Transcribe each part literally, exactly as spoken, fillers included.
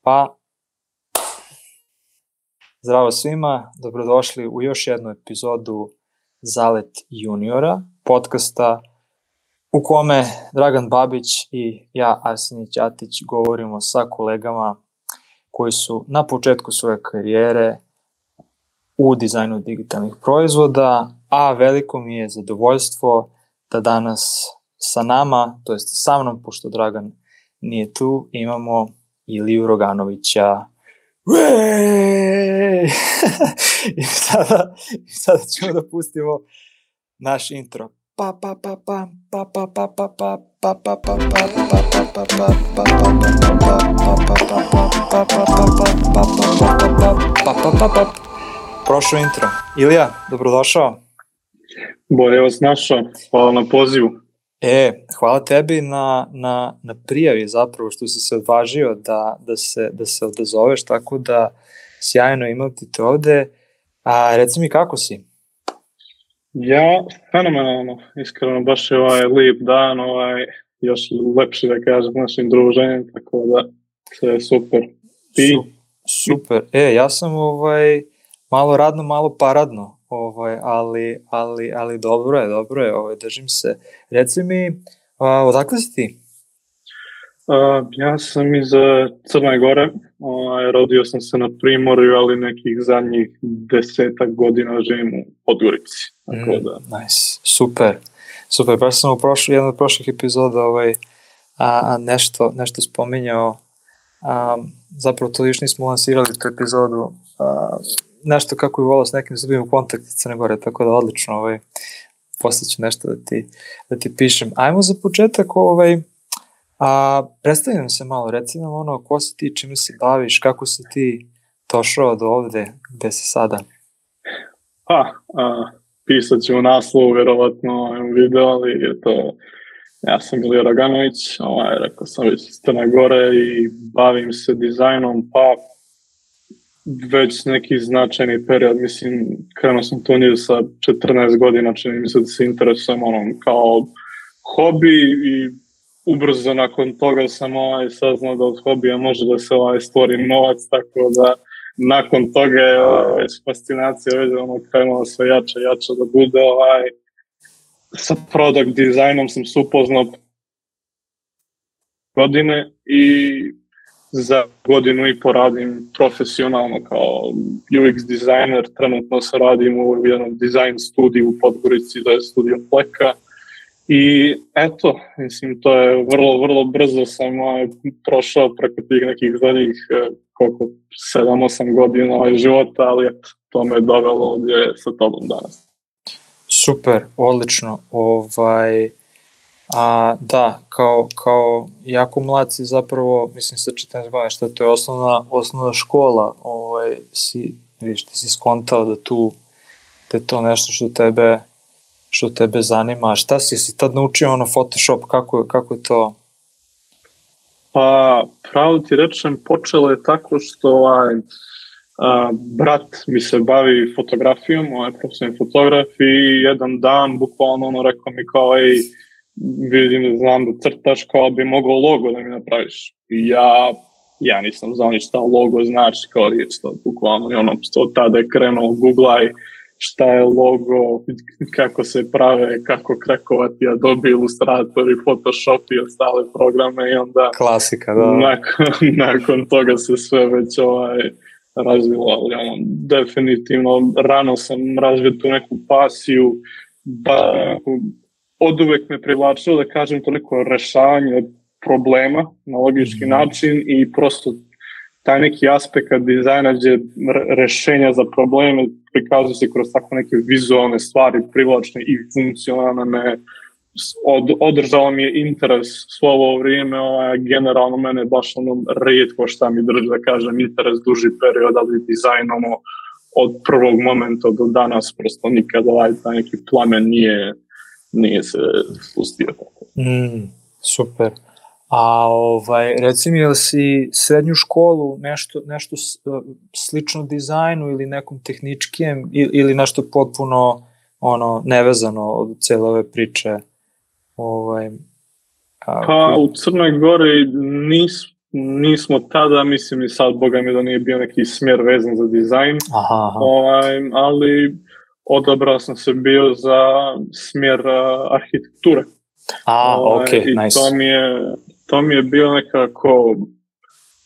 Pa, zdravo svima, dobrodošli u još jednu epizodu Zalet juniora, podcasta u kome Dragan Babić i ja, Arsenij Ćatić, govorimo sa kolegama koji su na početku svoje karijere u dizajnu digitalnih proizvoda, a veliko mi je zadovoljstvo da danas sa nama, to jest sa mnom, pošto Dragan nije tu, imamo Iliju Roganovića. I sada, sada ćemo da pustimo naš intro. Pa pa pa pa pa pa pa pa pa pa pa pa pa pa. Prošao intro. Ilija, dobrodošao. Bolje vas našao, hvala na pozivu. E, hvala tebi na, na, na prijavi zapravo što si se odvažio da, da, se, da se odazoveš, tako da sjajno imati te ovde. A reci mi kako si? Ja, fenomenalno, iskreno, baš je ovaj lijep dan, ovaj, još lepši da kažem našim druženjem, tako da sve je super. I... Su, super, e, ja sam ovaj, malo radno, malo paradno. Ovaj, ali, ali, ali dobro je, dobro je, ovaj, držim se. Reci mi, a, odakle si ti? Uh, ja sam iz Crne Gore, ovaj, rodio sam se na Primorju, ali nekih zadnjih desetak godina živim u Podgorici. Tako mm, da. Nice, super, super, baš sam u prošlu, jednu od prošlih epizoda ovaj, a, a nešto, nešto spominjao, a, zapravo to još nismo lansirali tu epizodu, a, nešto kako je volao s nekim zubim u kontakt iz Crne Gore, tako da odlično, ovaj, posle ću nešto da ti, da ti pišem. Ajmo za početak, ovaj, a, predstavi nam se malo, reci nam ono, ko si ti, čime se baviš, kako si ti došao do ovde, gde si sada? Pa, a, pisat ću u naslovu, vjerovatno video, ali je to, ja sam Ilija Roganović, ovaj, rekao sam već iz Crne Gore i bavim se dizajnom, pa već neki značajni period, mislim, krenuo sam to nije sa četrnaest godina, čini mi se da se interesujem onom kao hobi i ubrzo nakon toga sam ovaj, saznao da od hobija može da se ovaj, stvori novac, tako da nakon toga je ovaj, već fascinacija već ono krenula sve jače, jače da bude ovaj, sa product dizajnom sam se upoznao godine i za godinu i po radim profesionalno kao U X dizajner, trenutno se radim u jednom dizajn studiju u Podgorici, da je studio Pleka. I eto, mislim, to je vrlo, vrlo brzo sam ovaj, prošao preko tih nekih zadnjih koliko, sedam osam godina ovaj, života, ali eto, to me je dovelo ovdje sa tobom danas. Super, odlično. Ovaj... A, da, kao, kao jako mlad si zapravo, mislim sa četrnaest godina, što to je osnovna, osnovna škola, ovaj, si, vidiš, ti si skontao da tu, da je to nešto što tebe, što tebe zanima. A šta si, si tad naučio ono Photoshop, kako, kako je to? Pa, pravo ti rečem, počelo je tako što ovaj, a, brat mi se bavi fotografijom, ovaj profesionalni fotograf i jedan dan, bukvalno ono rekao mi kao, ej, vidim, znam da crtaš, kao bi mogao logo da mi napraviš. I ja, ja nisam znao ni šta logo znači, kao riječ to bukvalno. I ono, od tada je krenuo googlaj šta je logo, kako se prave, kako krakovati, a dobi Illustrator i Photoshop i ostale programe i onda... Klasika, da. Nakon, nakon toga se sve već ovaj, razvilo, ali ono, definitivno rano sam razvio tu neku pasiju, ba, od uvek me privlačilo, da kažem, toliko rešavanje problema na logički mm. način i prosto taj neki aspekt dizajna gdje rešenja za probleme prikazuju se kroz tako neke vizualne stvari, privlačne i funkcionalne. Od, održalo mi je interes svo ovo vrijeme, ovaj, generalno mene baš ono rijetko šta mi drži, da kažem, interes duži period, ali dizajnom od prvog momenta do danas prosto nikada ovaj taj neki plamen nije nije se spustio tako. Mm, super. A ovaj, reci mi, jel si srednju školu nešto, nešto slično dizajnu ili nekom tehničkijem ili nešto potpuno ono, nevezano od cijele ove priče? Ovaj, a, pa u Crnoj Gori nis, nismo tada, mislim i sad, boga mi da nije bio neki smjer vezan za dizajn, aha, aha. Ovaj, ali odabrao sam se bio za smjer uh, arhitekture. A, ovaj, ok, i nice. to mi je, to mi je bilo nekako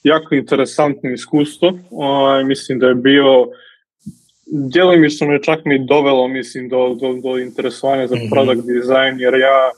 jako interesantno iskustvo. Ovaj, mislim da je bio, djelomično me čak mi dovelo, mislim, do, do, do interesovanja za product design, jer ja,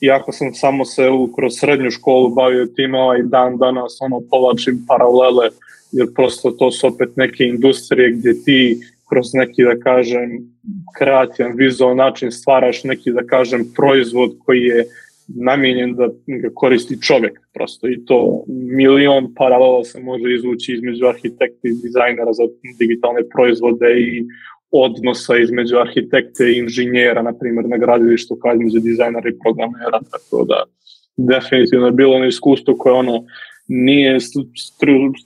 iako sam samo se u, kroz srednju školu bavio tim, ovaj dan danas ono povlačim paralele, jer prosto to su opet neke industrije gdje ti kroz neki, da kažem, kreativan, vizualan način stvaraš neki, da kažem, proizvod koji je namijenjen da ga koristi čovjek prosto, i to milion paralela se može izvući između arhitekta i dizajnera za digitalne proizvode i odnosa između arhitekte i inženjera, na primjer na gradilištu, kao između dizajnera i programera, tako da definitivno je bilo ono iskustvo koje ono nije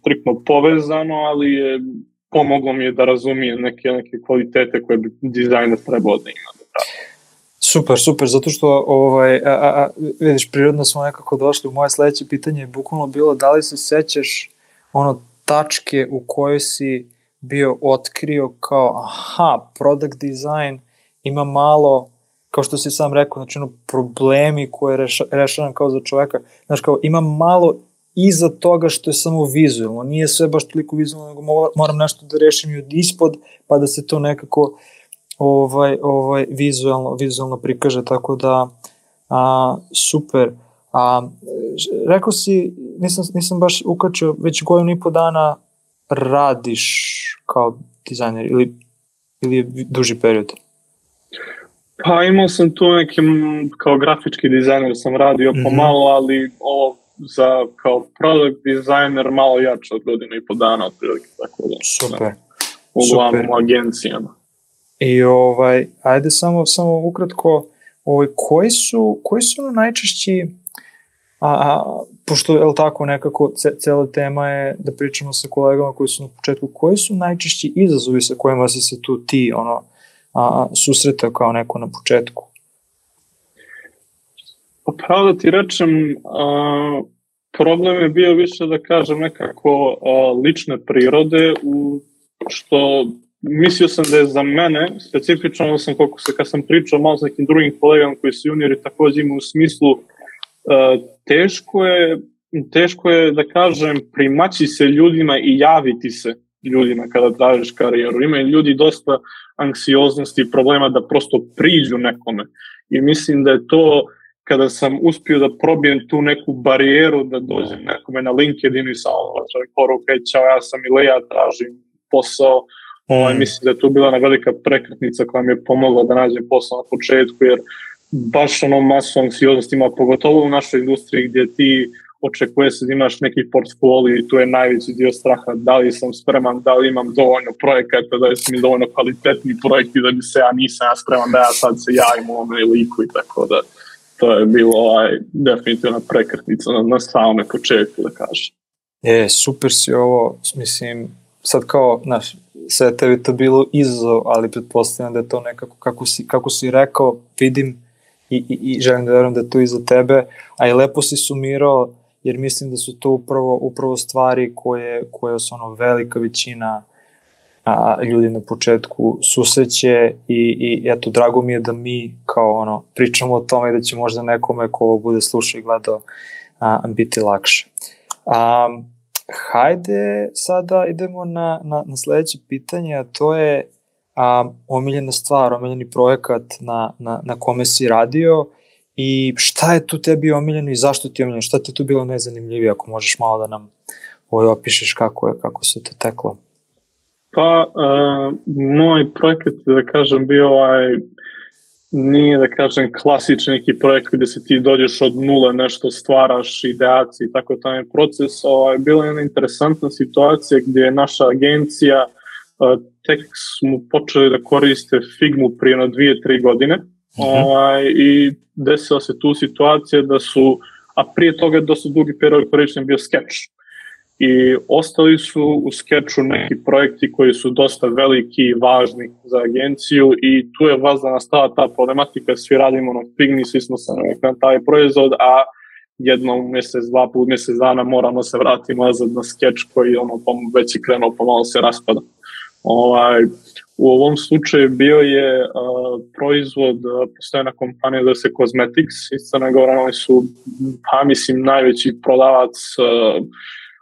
striktno povezano, ali je pomoglo mi je da razumijem neke, neke kvalitete koje bi dizajner trebao da ima. Super, super, zato što ovaj, a, a, vidiš, prirodno smo nekako došli u moje sledeće pitanje, je bukvalno bilo da li se sećaš ono tačke u kojoj si bio otkrio kao aha, product design ima malo, kao što si sam rekao, znači ono problemi koje reša, rešavam kao za čoveka, znači kao ima malo iza toga što je samo vizualno, nije sve baš toliko vizualno, nego moram nešto da rešim i od ispod, pa da se to nekako ovaj, ovaj, vizualno, vizualno prikaže, tako da a, super. A, rekao si, nisam, nisam baš ukačio, već godinu i po dana radiš kao dizajner ili, ili je duži period? Pa imao sam tu nekim, kao grafički dizajner sam radio mm-hmm. pomalo, ali ovo za kao product designer malo jače od godinu i po dana otprilike, tako da. Super. Da, uglavnom u agencijama. I ovaj, ajde samo, samo ukratko, ovaj, koji su, koji su ono najčešći, a, a, pošto je li tako nekako ce, cela tema je da pričamo sa kolegama koji su na početku, koji su najčešći izazovi sa kojima si se tu ti ono, a, susretao kao neko na početku? Pravo da ti rečem, a, problem je bio više da kažem nekako a, lične prirode, u što mislio sam da je za mene, specifično sam koliko se, kad sam pričao malo s nekim drugim kolegama koji su juniori također imaju u smislu, uh, teško je, teško je da kažem primaći se ljudima i javiti se ljudima kada tražiš karijeru. Imaju ljudi dosta anksioznosti i problema da prosto priđu nekome i mislim da je to kada sam uspio da probijem tu neku barijeru da dođem nekome na LinkedIn i sa čovjek poruka, čao, ja sam Ilija, tražim posao. Ovaj, mislim da je tu bila jedna velika prekretnica koja mi je pomogla da nađem posao na početku, jer baš ono masu anksioznosti ima, pogotovo u našoj industriji gdje ti očekuje se da imaš neki portfolio i tu je najveći dio straha, da li sam spreman, da li imam dovoljno projekata, da li su mi dovoljno kvalitetni projekti da bi se ja nisam ja spreman, da ja sad se javim u ovome liku i tako da to je bilo ovaj, definitivna prekretnica na, na samome početku, da kažem. E, super si ovo, mislim, sad kao, znaš, sve tebi to bilo izazov, ali pretpostavljam da je to nekako, kako si, kako si rekao, vidim i, i, i želim da verujem da je to i za tebe, a i lepo si sumirao, jer mislim da su to upravo, upravo stvari koje, koje su ono velika većina a, ljudi na početku susreće i, i eto, drago mi je da mi kao ono, pričamo o tome i da će možda nekome ko ovo bude slušao i gledao a, biti lakše. A, hajde sada idemo na, na, na sledeće pitanje, a to je a, omiljena stvar, omiljeni projekat na, na, na kome si radio i šta je tu tebi omiljeno i zašto ti je omiljeno, šta ti je tu bilo najzanimljivije, ako možeš malo da nam ovaj opišeš kako je, kako se to teklo. Pa, uh, moj projekat, da kažem, bio ovaj, nije da kažem klasični neki projekt gdje se ti dođeš od nule, nešto stvaraš, ideacije i tako taj proces. Ovaj, bila je jedna interesantna situacija gdje je naša agencija, uh, tek smo počeli da koriste Figmu prije na dvije, tri godine mm-hmm. ovaj, i desila se tu situacija da su, a prije toga dosta dugi period korišten bio Sketch. I ostali su u Sketchu neki projekti koji su dosta veliki i važni za agenciju i tu je vazda nastala ta problematika, svi radimo na Figmi, svi smo se na taj proizvod, a jednom u mjesec, dva put mjesec dana moramo se vratiti nazad na skeč koji ono, već je krenuo, pomalo se raspada. Ovaj, u ovom slučaju bio je uh, proizvod, uh, postoje na kompanija da se Cosmetics iz Crne Gore, oni su, pa mislim, najveći prodavac uh,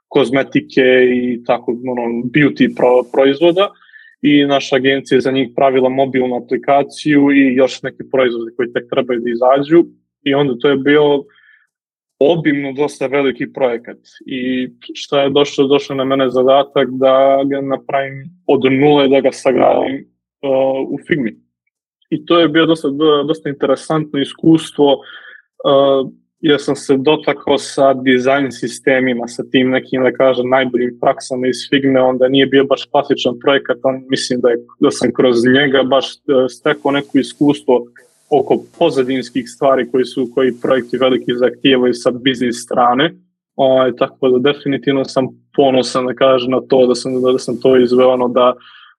kozmetike i tako, ono, beauty pro, proizvoda i naša agencija je za njih pravila mobilnu aplikaciju i još neki proizvodi koji tek trebaju da izađu i onda to je bio obimno dosta veliki projekat i šta je došlo, došlo na mene zadatak da ga napravim od nule, da ga sagradim uh, u Figmi. I to je bio dosta, dosta interesantno iskustvo, uh, jer sam se dotakao sa dizajn sistemima, sa tim nekim, da kažem, najboljim praksama iz Figme, onda nije bio baš klasičan projekat, on mislim da, je, da sam kroz njega baš stekao neko iskustvo oko pozadinskih stvari koji su, koji projekti veliki zahtijevaju sa biznis strane. O, tako da definitivno sam ponosan da kažem na to, da sam, da sam to izveo, ono, da,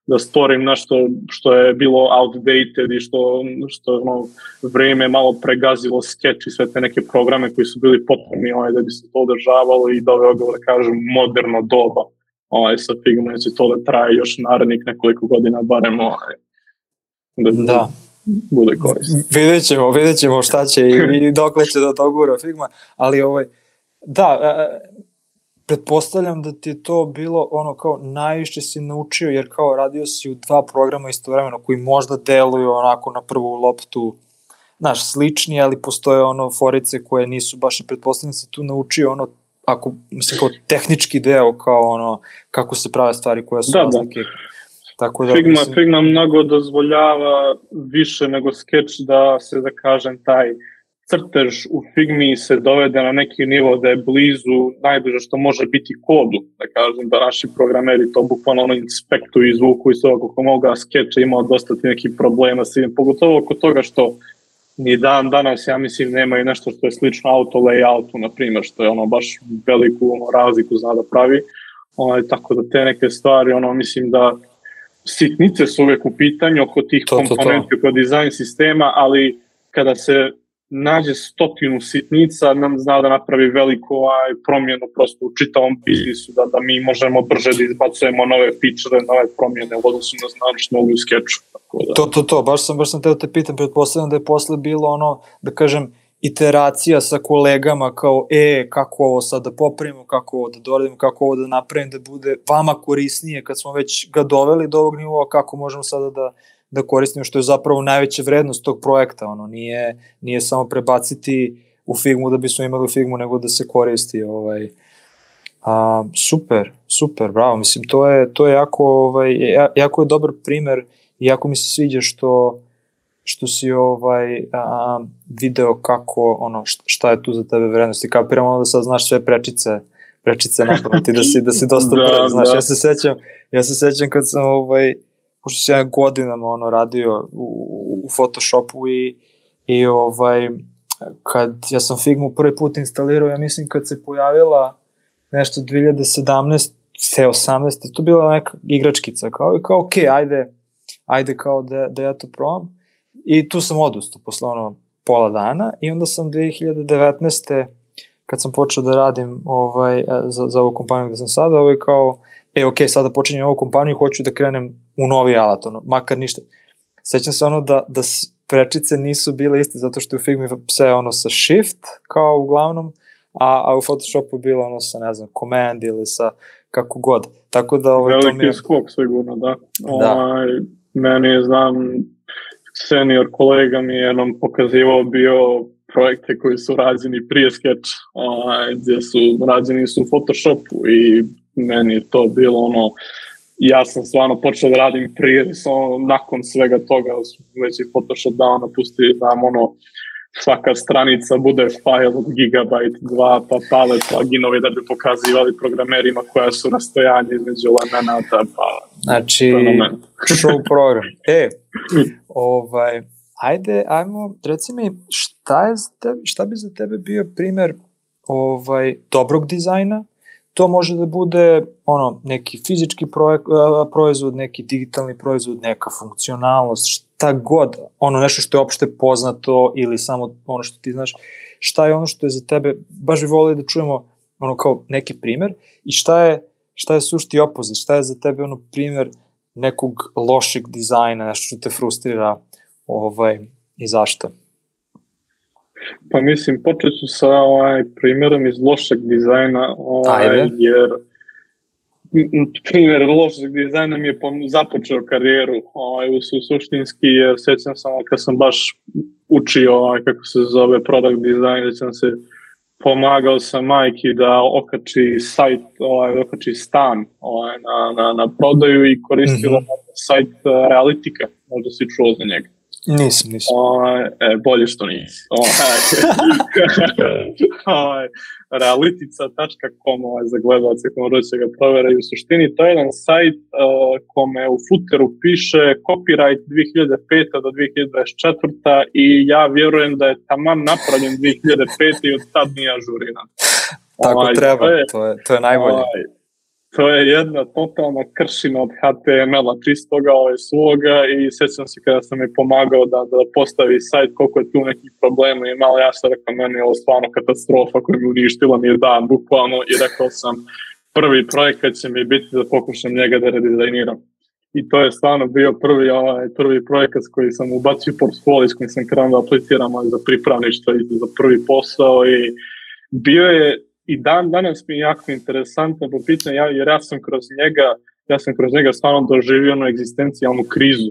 da stvorim nešto što je bilo outdated i što, što ono, vreme malo pregazilo sketch i sve te neke programe koji su bili potrebni ovaj, da bi se to održavalo i doveo ga, da kažem, moderno doba. Ovaj, sa Figma će to da traje još narednih nekoliko godina, barem ovaj, da, da. bude korisno. Vidjet ćemo, vidjet ćemo šta će i, i dokle će da to gura Figma, ali ovaj, da, pretpostavljam da ti je to bilo ono kao najviše si naučio, jer kao radio si u dva programa istovremeno koji možda deluju onako na prvu loptu, znaš, slični, ali postoje ono forice koje nisu baš i pretpostavljam si tu naučio ono, ako, mislim, kao tehnički deo, kao ono, kako se prave stvari koje su da, razlike. Da. Tako da, Figma, mislim... Figma mnogo dozvoljava više nego Sketch da se, da kažem, taj crtež u Figmi se dovede na neki nivo da je blizu najbliže što može biti kodu, da kažem, da naši programeri to bukvalno ono inspektuju i zvuku i sve kako mogu, a Sketch je imao dosta ti nekih problema s tim, pogotovo oko toga što ni dan danas, ja mislim, nema i nešto što je slično auto layoutu, na primjer, što je ono baš veliku ono, razliku zna da pravi, ono, tako da te neke stvari, ono, mislim da sitnice su uvek u pitanju oko tih to, komponenti, to, to. oko dizajn sistema, ali kada se nađe stotinu sitnica, nam zna da napravi veliku aj, promjenu prosto u čitavom biznisu, da, da mi možemo brže da izbacujemo nove feature, nove promjene u odnosu na znam što mogu u skeču. Da. To, to, to, baš sam, baš sam teo te pitam, pretpostavljam da je posle bilo ono, da kažem, iteracija sa kolegama kao, e, kako ovo sad da popravimo, kako ovo da doradimo, kako ovo da napravim da bude vama korisnije kad smo već ga doveli do ovog nivoa, kako možemo sada da, da koristimo, što je zapravo najveća vrednost tog projekta, ono, nije, nije samo prebaciti u Figmu da bismo imali u Figmu, nego da se koristi, ovaj, a, super, super, bravo, mislim, to je, to je jako, ovaj, jako je dobar primer i jako mi se sviđa što što si ovaj a, video kako ono šta je tu za tebe vrednost i kapiram ono da sad znaš sve prečice prečice napraviti da si da si dosta da, brz, znaš, da. ja se sećam ja se sećam kad sam ovaj pošto sam ja godinama ono radio u, u Photoshopu i i ovaj kad ja sam Figmu prvi put instalirao, ja mislim kad se pojavila nešto dve hiljade sedamnaeste osamnaeste to bila neka igračkica kao i kao okej, okay, ajde ajde kao da da ja to probam. I tu sam odustao posle ono pola dana i onda sam dve hiljade devetnaeste kad sam počeo da radim ovaj, za, za ovu kompaniju gde sam sada, ovaj kao, e ok, sada počinjem ovu kompaniju i hoću da krenem u novi alat, ono, makar ništa. Sećam se ono da, da prečice nisu bile iste zato što je u Figmi sve ono sa shift kao uglavnom, a, a u Photoshopu bilo ono sa, ne znam, command ili sa kako god. Tako da, ovaj, veliki to mi je... skok sigurno, da. da. Ovaj, meni je, znam, senior kolega mi je jednom pokazivao bio projekte koji su rađeni prije Sketch, ovaj, gdje su rađeni su u Photoshopu i meni je to bilo ono, ja sam stvarno počeo da radim prije, samo nakon svega toga već i Photoshop dao napusti, znam ono, svaka stranica bude file od gigabajt dva, pa palet pluginovi da bi pokazivali programerima koja su rastojanje između elemenata, pa znači, show program. E, ovaj, ajde, ajmo, reci mi, šta, je za tebe, šta bi za tebe bio primer ovaj, dobrog dizajna, to može da bude ono, neki fizički projek, proizvod, neki digitalni proizvod, neka funkcionalnost, šta god, ono nešto što je opšte poznato ili samo ono što ti znaš, šta je ono što je za tebe, baš bi volili da čujemo ono kao neki primer i šta je, šta je sušti opozit, šta je za tebe ono primer nekog lošeg dizajna, nešto što te frustrira ovaj, i zašto? Pa mislim, počet ću sa ovaj, primjerom iz lošeg dizajna, ovaj, jer primjer lošeg dizajna mi je započeo karijeru ovaj, u suštinski, jer sjećam sam kad sam baš učio ovaj, kako se zove product design, sam se pomagao sam majki da okači sajt, ovaj, okači stan ovaj, na, na, na prodaju i koristila mm-hmm. sajt uh, Realitika, možda si čuo za njega. Nisam, nisam. O, e, bolje što nisi. O, realitica tačka com ovaj, za gledalce koji će ga proveraju. U suštini to je jedan sajt uh, kome u footeru piše copyright dve hiljade pete do dve hiljade dvadeset četvrte i ja vjerujem da je taman napravljen dve hiljade pete i od tad nije ažuriran. Tako ovaj, treba, to je, to je, to je najbolje. Ovaj, To je jedna totalna kršina od H T M L-a čistoga ovaj, svoga i sjećam se kada sam mi pomagao da, da postavi sajt koliko je tu nekih problema i malo ja sam rekao meni je ovo stvarno katastrofa koja mi uništila mi je dan bukvalno i rekao sam prvi projekat će mi biti da pokušam njega da redizajniram. I to je stvarno bio prvi, ovaj, prvi projekat s koji sam ubacio portfolio s kojim sam krenuo da apliciram za pripravništvo i za prvi posao i bio je i dan danas mi je jako interesantno po pitanju, ja, jer ja sam kroz njega, ja sam kroz njega stvarno doživio onu egzistencijalnu krizu.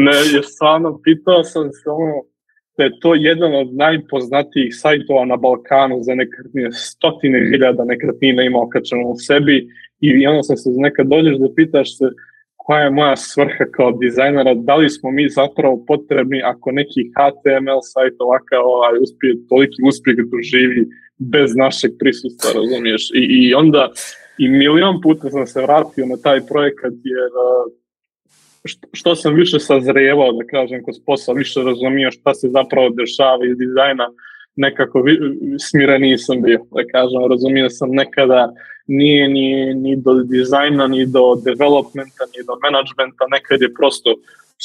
Ne, je stvarno, pitao sam se ono, da je to jedan od najpoznatijih sajtova na Balkanu za nekretnine, stotine hiljada nekretnina ima okačeno u sebi i onda sam se nekad dođeš da pitaš se koja je moja svrha kao dizajnera, da li smo mi zapravo potrebni ako neki H T M L sajt ovakav ovaj, uspije, toliki uspjeh doživi bez našeg prisustva, razumiješ? I, i onda i milion puta sam se vratio na taj projekat jer što, što sam više sazrijevao, da kažem, kroz posao, više razumio šta se zapravo dešava iz dizajna, nekako vi, smireniji sam bio, da kažem, razumio sam nekada nije ni, ni do dizajna, ni do developmenta, ni do managementa, nekad je prosto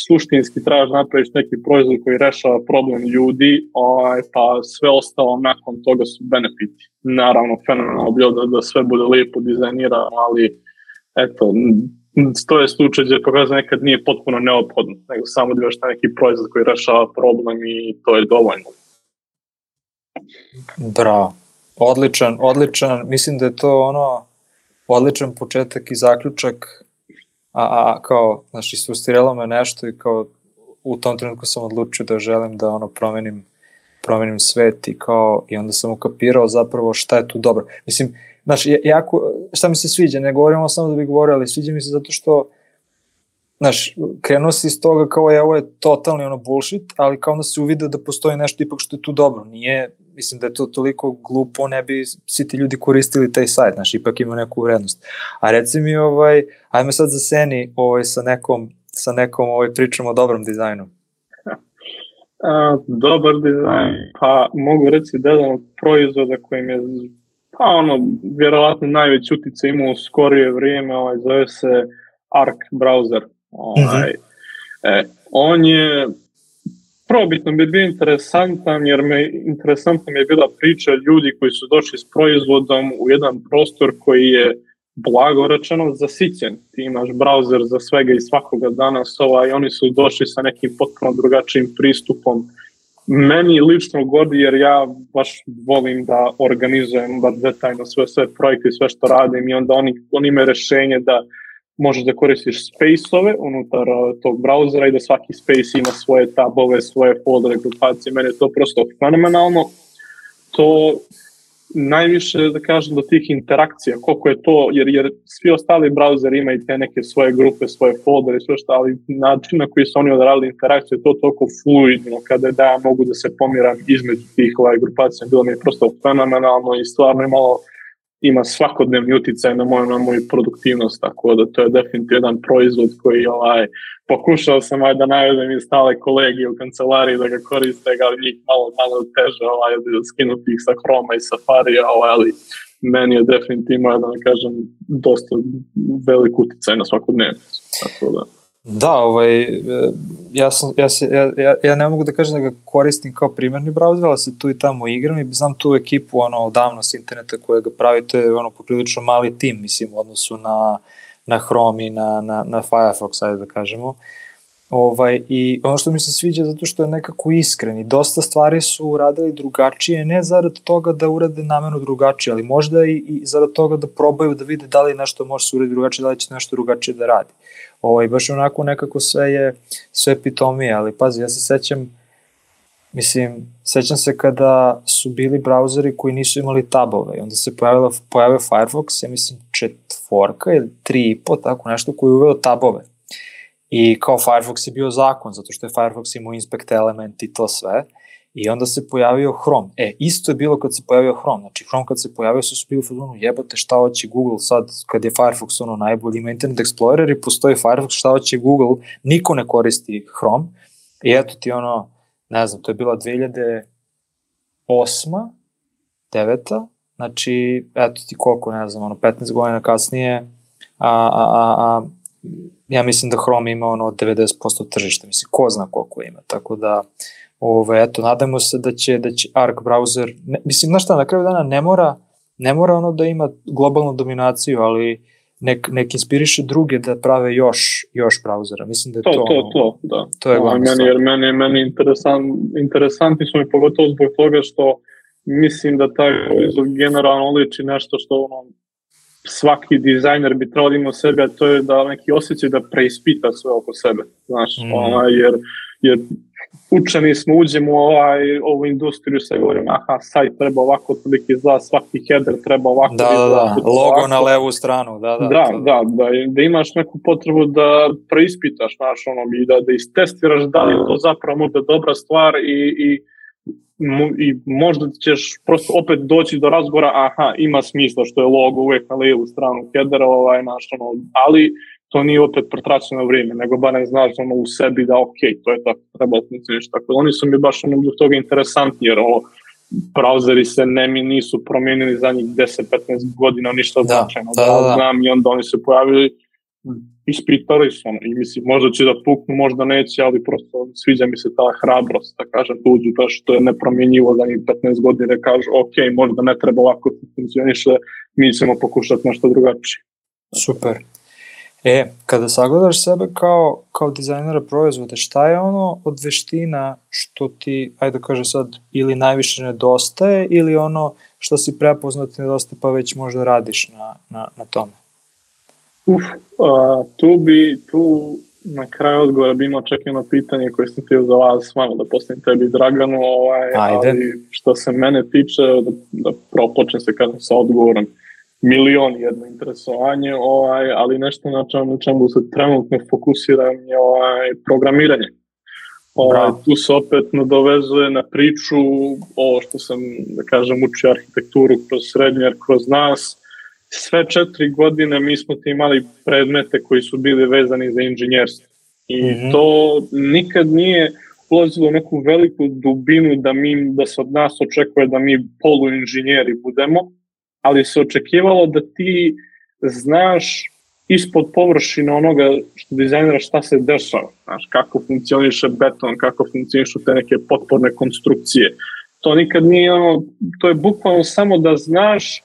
suštinski trebaš napraviš neki proizvod koji rešava problem ljudi, ovaj, pa sve ostalo nakon toga su benefiti. Naravno, fenomenalno bilo da, da sve bude lijepo dizajnirano, ali eto, to je slučaj gdje pokazuje nekad nije potpuno neophodno, nego samo da imaš neki proizvod koji rešava problem i to je dovoljno. Bravo. Odličan, odličan, mislim da je to ono odličan početak i zaključak, a, a kao, znači, sustiralo me nešto i kao u tom trenutku sam odlučio da želim da ono promenim, promenim svet i kao, i onda sam ukapirao zapravo šta je tu dobro. Mislim, znači, jako, šta mi se sviđa, ne govorimo samo da bi govorio, ali sviđa mi se zato što, znaš, krenuo si iz toga kao je, ovo je totalni ono bullshit, ali kao onda se uvide da postoji nešto ipak što je tu dobro. Nije, mislim da je to toliko glupo, ne bi svi ti ljudi koristili taj sajt, znaš, ipak ima neku vrednost. A reci mi, ovaj, ajme sad za Seni ovaj, sa nekom, sa nekom ovaj, pričom o dobrom dizajnu. A, dobar dizajn, pa mogu reći da jedan od proizvoda kojim je, pa ono, vjerovatno najveći utjecaj imao u skorije vrijeme, ovaj, zove se Arc browser. Ovaj, e, on je probitno bi bio interesantan jer me, interesantna mi je bila priča ljudi koji su došli s proizvodom u jedan prostor koji je blago rečeno zasićen. Ti imaš browser za svega i svakoga danas ovaj, oni su došli sa nekim potpuno drugačijim pristupom. Meni lično godi jer ja baš volim da organizujem baš detaljno sve, sve projekte i sve što radim i onda oni, oni imaju rešenje da možeš da koristiš space-ove unutar uh, tog brauzera i da svaki space ima svoje tabove, svoje foldere, grupacije. Meni je to prosto fenomenalno. To najviše, da kažem, do tih interakcija, koliko je to, jer, jer svi ostali brauzeri imaju te neke svoje grupe, svoje foldere, sve što, ali način na koji su oni odradili interakcije, to toliko fluidno, kada da ja mogu da se pomiram između tih ovaj, grupacija, bilo mi je prosto fenomenalno i stvarno je malo ima svakodnevni uticaj na moju, na moju produktivnost, tako da to je definitivno jedan proizvod koji ovaj, pokušao sam aj, da navedem i stale kolege u kancelariji da ga koriste, ali njih malo, malo teže ovaj, skinuti ih sa Chroma i Safarija, ovaj, ali meni je definitivno, da ne kažem, dosta velik uticaj na svakodnevnicu. Tako da. Da, ovaj, ja, sam, ja, se, ja, ja ne mogu da kažem da ga koristim kao primarni browser, ali se tu i tamo igram i znam tu ekipu ono, odavno s interneta koja ga pravi, to je ono, poprilično mali tim, mislim, u odnosu na, na Chrome i na, na, na Firefox, ajde da kažemo. Ovaj, I ono što mi se sviđa zato što je nekako iskren i dosta stvari su uradili drugačije, ne zarad toga da urade namerno drugačije, ali možda i, i zarad toga da probaju da vide da li nešto može se uraditi drugačije, da li će nešto drugačije da radi. Ovaj, baš onako nekako sve je sve pitomije, ali pazi, ja se sećam, mislim, sećam se kada su bili brauzeri koji nisu imali tabove i onda se pojavila, pojavio Firefox, ja mislim četvorka ili tri i po, tako nešto, koji je uveo tabove. I kao Firefox je bio zakon, zato što je Firefox imao inspect element i to sve. I onda se pojavio Chrome. E, isto je bilo kad se pojavio Chrome. Znači, Chrome kad se pojavio su su bili ono, jebote, šta hoće Google sad, kad je Firefox ono najbolji, ima Internet Explorer i postoji Firefox, šta hoće Google, niko ne koristi Chrome. I eto ti ono, ne znam, to je bila dve hiljade osma, deveta, znači, eto ti koliko, ne znam, ono, petnaest godina kasnije, a, a, a, a ja mislim da Chrome ima ono devedeset posto tržišta, mislim, ko zna koliko ima, tako da, ove, eto, nadamo se da će, da će Arc browser, ne, mislim, znaš šta, na kraju dana ne mora, ne mora ono da ima globalnu dominaciju, ali nek, nek inspiriše druge da prave još, još brauzera, mislim da je to... To, to, to, da. To je glavno meni, jer meni, meni interesant, interesantni su mi pogotovo zbog toga što mislim da taj proizvod generalno liči nešto što ono, svaki dizajner bi trebalo imati u sebi, a to je da neki osjećaj da preispita sve oko sebe, znaš, mm. ovaj, jer, jer učeni smo, uđemo u ovaj, ovu industriju, se govorimo, aha, sajt treba ovako toliki izgleda, svaki header treba ovako da, izgleda. Da, da, logo ovako. Na levu stranu, da, da. Da, da, da, da imaš neku potrebu da preispitaš, znaš, ono, i da, da istestiraš da li je to zapravo možda dobra stvar i, i i možda ćeš prosto opet doći do razgovora, aha, ima smisla što je logo uvijek na lijevu stranu headera, ovaj, naš, ono, ali to nije opet protraćeno vrijeme, nego barem znaš ono, u sebi da ok, to je tako, treba funkcioniš. Tako da oni su mi baš ono, zbog toga interesantni, jer ovo, brauzeri se ne mi nisu promijenili za njih deset do petnaest godina, ništa značajno. Da, da, da, da. Znam, i onda oni se pojavili, ispitali su ono, i mislim, možda će da puknu, možda neće, ali prosto sviđa mi se ta hrabrost, da kažem, da uđu to što je nepromjenjivo za njih petnaest godina, da kažu, ok, možda ne treba ovako funkcioniše, mi ćemo pokušati nešto drugačije. Super. E, kada sagledaš sebe kao, kao dizajnera proizvoda, šta je ono od veština što ti, ajde da kažem sad, ili najviše nedostaje, ili ono što si prepoznat nedostaje pa već možda radiš na, na, na tome? Uf, uh, tu bi, tu na kraju odgovora bi imao čak jedno pitanje koje sam htio za vas malo da postavim tebi Draganu, ovaj, ali što se mene tiče, da, da prvo počnem se kažem sa odgovorom, milion jedno interesovanje, ovaj, ali nešto na čemu, na čemu se trenutno fokusiram je ovaj, programiranje. Ovaj, tu se opet nadovezuje na priču ovo što sam, da kažem, učio arhitekturu kroz srednje, kroz nas. Sve četiri godine mi smo imali predmete koji su bili vezani za inženjerstvo. I mm-hmm. to nikad nije ulazilo u neku veliku dubinu da, mi, da se od nas očekuje da mi poluinženjeri budemo, ali se očekivalo da ti znaš ispod površine onoga što dizajnera šta se dešava, znaš, kako funkcioniše beton, kako funkcionišu te neke potporne konstrukcije. To nikad nije ono, to je bukvalno samo da znaš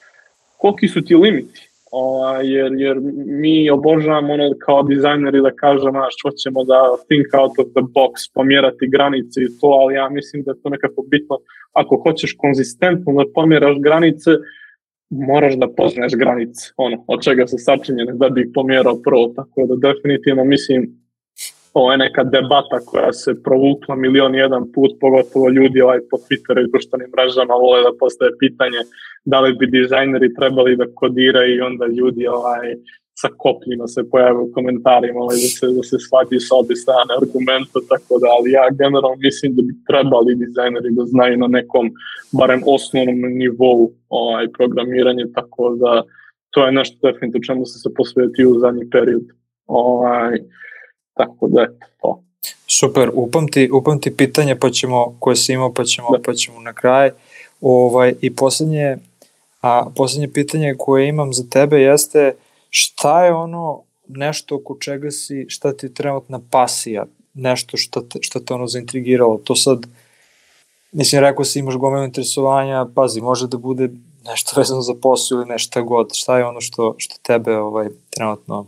koliki su ti limiti, o, jer, jer mi obožavamo ono kao dizajneri da kažemo, znaš, hoćemo da think out of the box, pomjerati granice i to, ali ja mislim da je to nekako bitno. Ako hoćeš konzistentno da pomjeraš granice, moraš da poznaješ granice, ono, od čega se sačinjene da bi ih pomjerao prvo, tako da definitivno mislim ovo je neka debata koja se provukla milion jedan put, pogotovo ljudi ovaj, po Twitteru i društvenim mrežama vole da postaje pitanje da li bi dizajneri trebali da kodiraju i onda ljudi ovaj, sa kopljima se pojave u komentarima ovaj, da se, da se shvati sa obje strane argumenta, tako da, ali ja generalno mislim da bi trebali dizajneri da znaju na nekom, barem osnovnom nivou ovaj, programiranje, tako da to je nešto definitivno čemu se se posvetio u zadnji period. Ovaj, tako da je to. Super, upamti, upamti pitanje pa ćemo, koje si imao pa ćemo, pa ćemo na kraj. Ovaj, I posljednje, A posljednje pitanje koje imam za tebe jeste šta je ono nešto oko čega si, šta ti je trenutna pasija, nešto što te, što te ono zaintrigiralo, to sad, mislim, rekao si imaš gomilu interesovanja, pazi, može da bude nešto vezano za posao ili nešto god, šta je ono što, što tebe ovaj, trenutno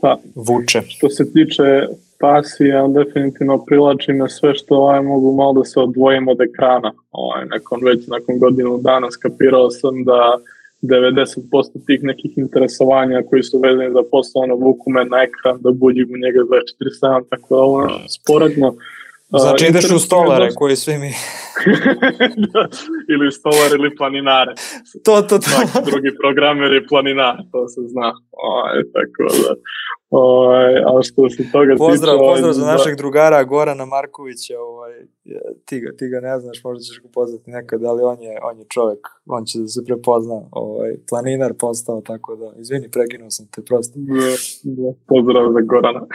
pa, vuče? Što se tiče pasija, definitivno privlači me sve što ovaj, mogu malo da se odvojim od ekrana. Ovaj, nakon, već nakon godinu dana skapirao sam da devedeset posto tih nekih interesovanja koji su vezani za posao, ono, vuku me na ekran, da buđim u njega dvadeset četiri sedam, tako da ovo sporedno. Znači uh, ideš u stolare dosta... koji svi mi... da, ili stolar ili planinare. To, to, to. Svaki drugi programer je planinar, to se zna. Ovaj, tako da... O, a što se toga pozdrav, tiče... Pozdrav za našeg drugara Gorana Markovića, ovaj, ti, ga, ti ga ne znaš, možda ćeš ga poznati nekad, ali on je, on je čovjek, on će da se prepozna, ovaj, planinar postao, tako da, izvini, prekinuo sam te prosto. Da, da, pozdrav za Gorana.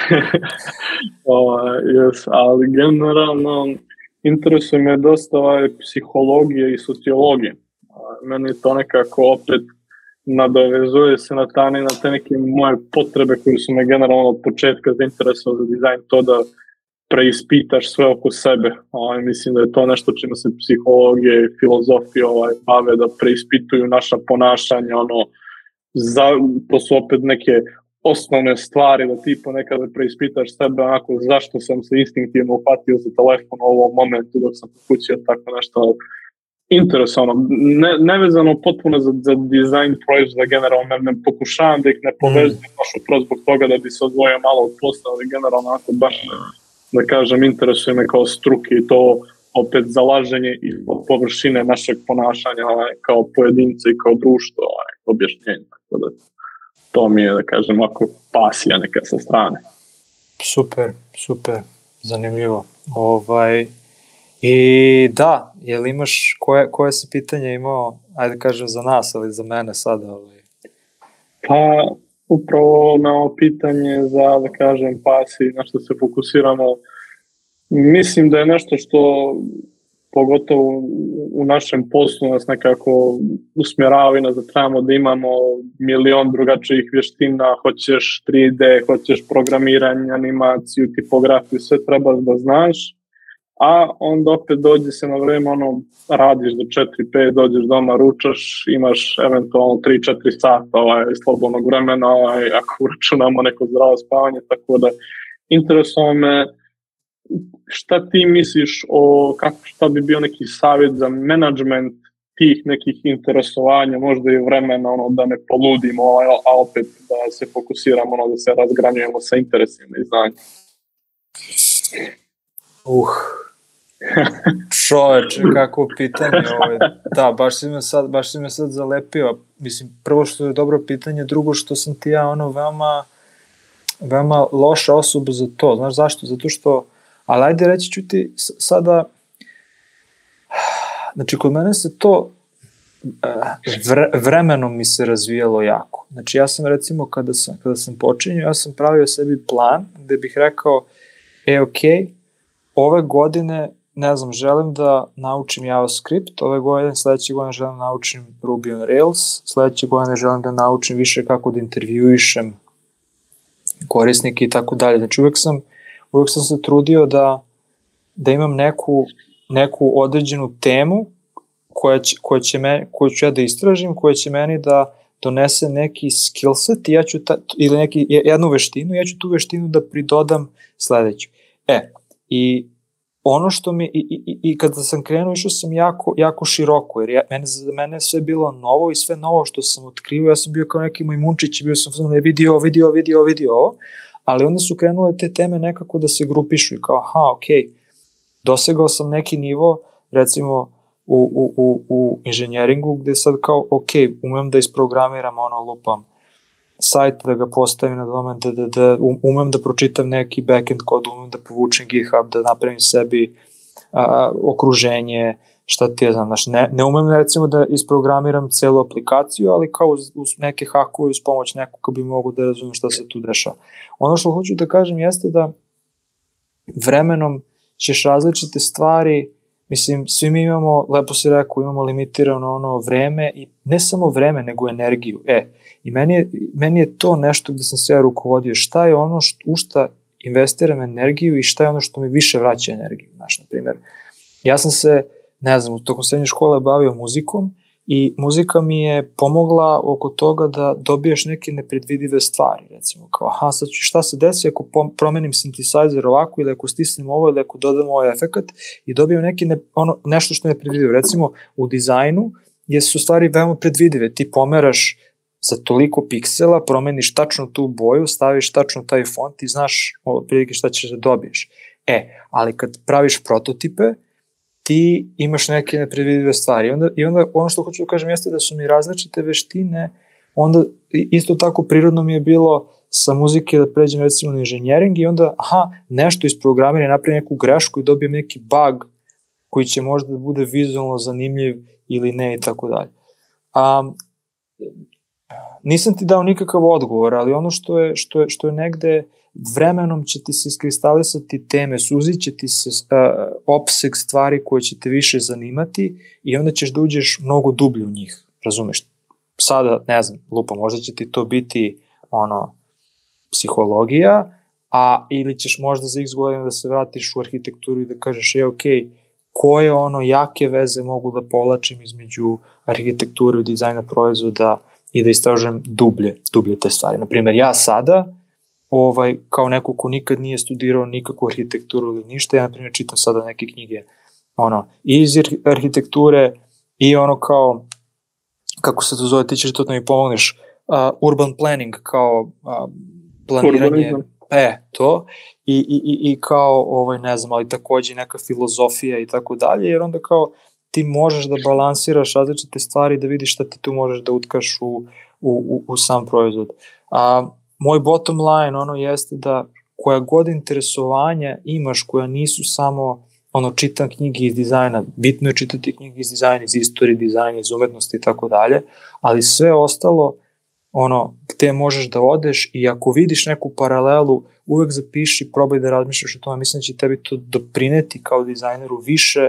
o, yes, ali generalno interesuje me dosta ovaj, psihologije i sociologije. Meni je to nekako opet nadovezuje se na, ta, na te neke moje potrebe koje su me generalno od početka zainteresovali za dizajn, to da preispitaš sve oko sebe. Ovaj, mislim da je to nešto čime se psihologije i filozofije ovaj, bave, da preispituju naša ponašanja. Ono, za, to su opet neke osnovne stvari, da ti ponekada preispitaš sebe onako zašto sam se instinktivno uhvatio za telefon u ovom momentu dok sam pokućio tako nešto. Interesovno, ne, nevezano potpuno za, za dizajn proizvoda generalno, ne, ne pokušavam da ih ne povezujem mm. baš upravo zbog toga da bi se odvojio malo od posla, ali generalno ako baš, da kažem, interesuje me kao struke i to opet zalaženje i površine našeg ponašanja ovaj, kao pojedinca i kao društvo, ovaj, objašnjenje, tako da to mi je, da kažem, ako pasija neka sa strane. Super, super, zanimljivo. Ovaj... I da, jel imaš, koje, koje si pitanje imao, ajde kažem za nas, ali za mene sada? Ali... Pa, upravo na ovo pitanje za, da kažem, pasi, na što se fokusiramo, mislim da je nešto što, pogotovo u našem poslu, nas nekako usmjerava i nas da trebamo da imamo milion drugačijih vještina, hoćeš tri D, hoćeš programiranje, animaciju, tipografiju, sve treba da znaš. A onda opet dođe se na vreme, ono, radiš do četiri pet, dođeš doma, ručaš, imaš eventualno tri četiri sata ovaj, slobodnog vremena, ovaj, ako uračunamo neko zdravo spavanje, tako da interesuje me šta ti misliš o, kako, šta bi bio neki savjet za menadžment tih nekih interesovanja, možda i vremena, ono, da ne poludimo, ovaj, a opet da se fokusiramo, ono, da se razgranjujemo sa interesima i znanjem. Uh, čoveče, kako pitanje ovo. Da, baš si me sad, baš si me sad zalepio. Mislim, prvo što je dobro pitanje, drugo što sam ti ja ono veoma, veoma loša osoba za to. Znaš zašto? Zato što, ali ajde reći ću ti sada, znači kod mene se to vre, vremenom mi se razvijalo jako. Znači ja sam recimo kada sam, kada sam počinio, ja sam pravio sebi plan gde bih rekao, e okej, okay, ove godine, ne znam, želim da naučim JavaScript, ove godine, sledeće godine želim da naučim Ruby on Rails, sledeće godine želim da naučim više kako da intervjuišem korisnike i tako dalje. Znači uvek sam, uvek sam se trudio da, da imam neku, neku određenu temu koja će, koja će me, koju ću ja da istražim, koja će meni da donese neki skillset i ja ću ta, ili neki, jednu veštinu, ja ću tu veštinu da pridodam sledeću. E, i ono što mi, i, i, i kada sam krenuo, išao sam jako, jako široko, jer ja, mene, za mene je sve bilo novo i sve novo što sam otkrio, ja sam bio kao neki majmunčić, bio sam ne vidio, vidio, vidio, vidio ovo, ali onda su krenule te teme nekako da se grupišu i kao, aha, okej, okay, dosegao sam neki nivo, recimo, u, u, u, u inženjeringu, gde sad kao, okej, okay, umem da isprogramiram, ono, lupam, sajt, da ga postavim na domen, da, da, da umem da pročitam neki backend kod, umem da povučem GitHub, da napravim sebi a, okruženje, šta ti je znam, znaš, ne, ne umem recimo da isprogramiram celu aplikaciju, ali kao uz, uz neke hakove, uz pomoć nekog ko bi mogu da razumem šta se tu dešava. Ono što hoću da kažem jeste da vremenom ćeš različite stvari, Mislim, svi mi imamo, lepo si rekao, imamo limitirano ono vreme i ne samo vreme, nego energiju. E, i meni je, meni je to nešto gde sam se ja rukovodio. Šta je ono što, u šta investiram energiju i šta je ono što mi više vraća energiju. Znaš, na primjer, ja sam se, ne znam, u tokom srednje škole bavio muzikom i muzika mi je pomogla oko toga da dobiješ neke nepredvidive stvari, recimo kao, aha, sad ću, šta se desi ako promenim synthesizer ovako ili ako stisnem ovo ili ako dodam ovaj efekat i dobijem neki ne, ono, nešto što je nepredvidivo. Recimo, u dizajnu je su stvari veoma predvidive, ti pomeraš za toliko piksela, promeniš tačno tu boju, staviš tačno taj font i znaš prilike šta ćeš da dobiješ. E, ali kad praviš prototipe, ti imaš neke nepredvidive stvari. I onda, i onda ono što hoću da kažem jeste da su mi različite veštine, onda isto tako prirodno mi je bilo sa muzike da pređem recimo na inženjering i onda, aha, nešto iz programira, napravi neku grešku i dobijem neki bug koji će možda da bude vizualno zanimljiv ili ne i tako dalje. Um, nisam ti dao nikakav odgovor, ali ono što je, što je, što je negde vremenom će ti se iskristalisati teme, suzit će ti se uh, opseg stvari koje će te više zanimati i onda ćeš da uđeš mnogo dublje u njih, razumeš? Sada, ne znam, lupa, možda će ti to biti ono, psihologija, a ili ćeš možda za x godina da se vratiš u arhitekturu i da kažeš, je, ok, koje ono jake veze mogu da povlačim između arhitekture i dizajna proizvoda i da istražujem dublje, dublje te stvari. Naprimer, ja sada, ovaj, kao neko ko nikad nije studirao nikakvu arhitekturu ili ništa, ja, na primjer, čitam sada neke knjige ono, iz arhitekture i ono kao, kako se to zove, ti ćeš to da mi pomogneš, uh, urban planning, kao uh, planiranje, urbanizam. E, to, i, i, i, i kao, ovaj, ne znam, ali takođe neka filozofija i tako dalje, jer onda kao ti možeš da balansiraš različite stvari, da vidiš šta ti tu možeš da utkaš u, u, u, u sam proizvod. A, moj bottom line, ono, jeste da koja god interesovanja imaš, koja nisu samo, ono, čitam knjige iz dizajna, bitno je čitati knjige iz dizajna, iz istorije dizajna, iz umetnosti i tako dalje, ali sve ostalo, ono, gde možeš da odeš i ako vidiš neku paralelu, uvek zapiši, probaj da razmišljaš o tome, mislim da će tebi to doprineti kao dizajneru više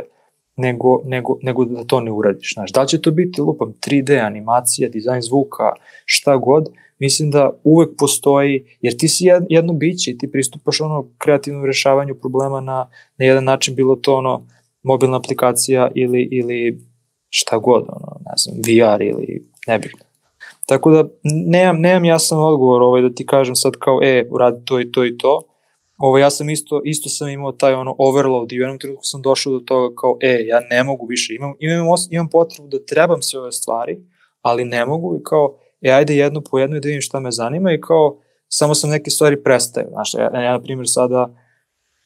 nego, nego, nego da to ne uradiš. Znaš, da li će to biti, lupam, tri D, animacija, dizajn zvuka, šta god, mislim da uvek postoji, jer ti si jedno biće i ti pristupaš ono kreativnom rešavanju problema na, na jedan način, bilo to ono mobilna aplikacija ili, ili šta god, ono, ne znam, V R ili nebitno. Tako da nemam, nemam jasan odgovor ovaj, da ti kažem sad kao, e, uradi to i to i to. Ovo, ja sam isto, isto sam imao taj ono overload i u jednom trenutku sam došao do toga kao, e, ja ne mogu više, imam, imam, imam potrebu da trebam sve ove stvari, ali ne mogu i kao, e, ajde jednu po jednu i da vidim šta me zanima i kao, samo sam neke stvari prestaju. Znaš, ja, ja na primjer sada,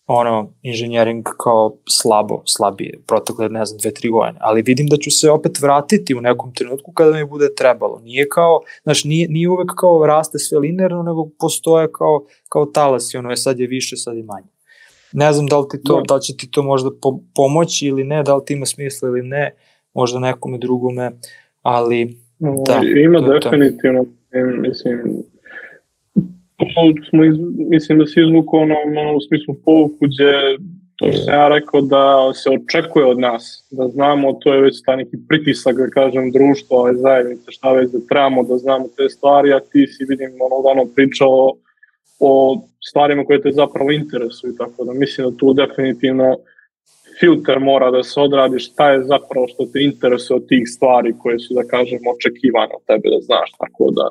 ono, inženjering kao slabo, slabije, protekle, ne znam, dve, tri godine, ali vidim da ću se opet vratiti u nekom trenutku kada mi bude trebalo. Nije kao, znaš, nije, nije uvek kao raste sve linearno, nego postoje kao, kao talasi, ono je sad je više, sad je manje. Ne znam da li, ti to, da li će ti to možda po, pomoći ili ne, da li ti ima smisla ili ne, možda nekome drugome, ali da. Ima definitivno, mislim, smo iz, mislim da se izvuku ono, ono u smislu povuku gdje to sam ja rekao da se očekuje od nas, da znamo, to je već taj neki pritisak, da kažem, društva, ove zajednice, šta već da trebamo da znamo te stvari, a ti si, vidim, ono, ono pričao o stvarima koje te zapravo interesuju, tako da mislim da tu definitivno filter mora da se odradi šta je zapravo što te interesuje od tih stvari koje su, da kažem, očekivane od tebe da znaš, tako da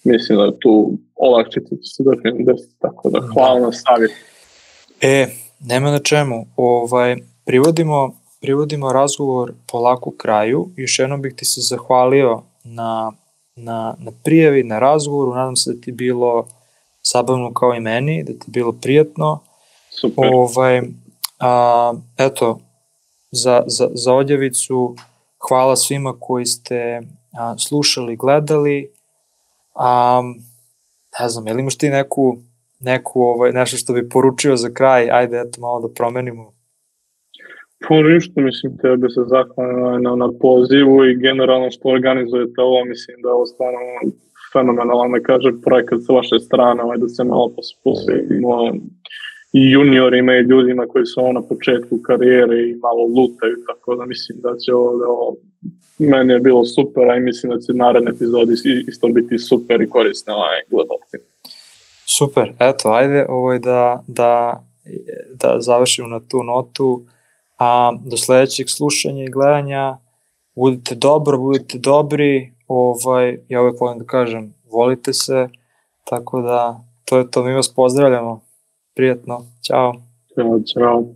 mislim da tu olakšice će se definitivno desiti, tako da hvala na savjet. E, nema na čemu. Ovaj, privodimo, privodimo razgovor polako kraju. Još jednom bih ti se zahvalio na, na, na prijavi, na razgovoru. Nadam se da ti bilo zabavno kao i meni, da ti bilo prijatno. Super. Ovaj, a, eto, za, za, za odjavicu hvala svima koji ste a, slušali, gledali. Um, ne znam, je li imaš ti neku, neku ovaj, nešto što bi poručio za kraj, ajde eto malo da promenimo? Pa ništa, mislim, tebe se zahvalim na, na pozivu i generalno što organizujete ovo, mislim da je ovo stvarno fenomenalan, da kažem, projekat sa vaše strane, ovaj, da se malo posvetimo i juniorima i ljudima koji su ono na početku karijere i malo lutaju, tako da mislim da će ovo, ovo meni je bilo super, a i mislim da će naredne epizodi isto biti super i korisne ovaj gledalci. Super, eto, ajde ovaj, da, da, da završimo na tu notu, a do sledećeg slušanja i gledanja budite dobro, budite dobri, ovaj, ja uvek volim da kažem, volite se, tako da to je to, mi vas pozdravljamo, prijatno, ćao. Ćao, ćao.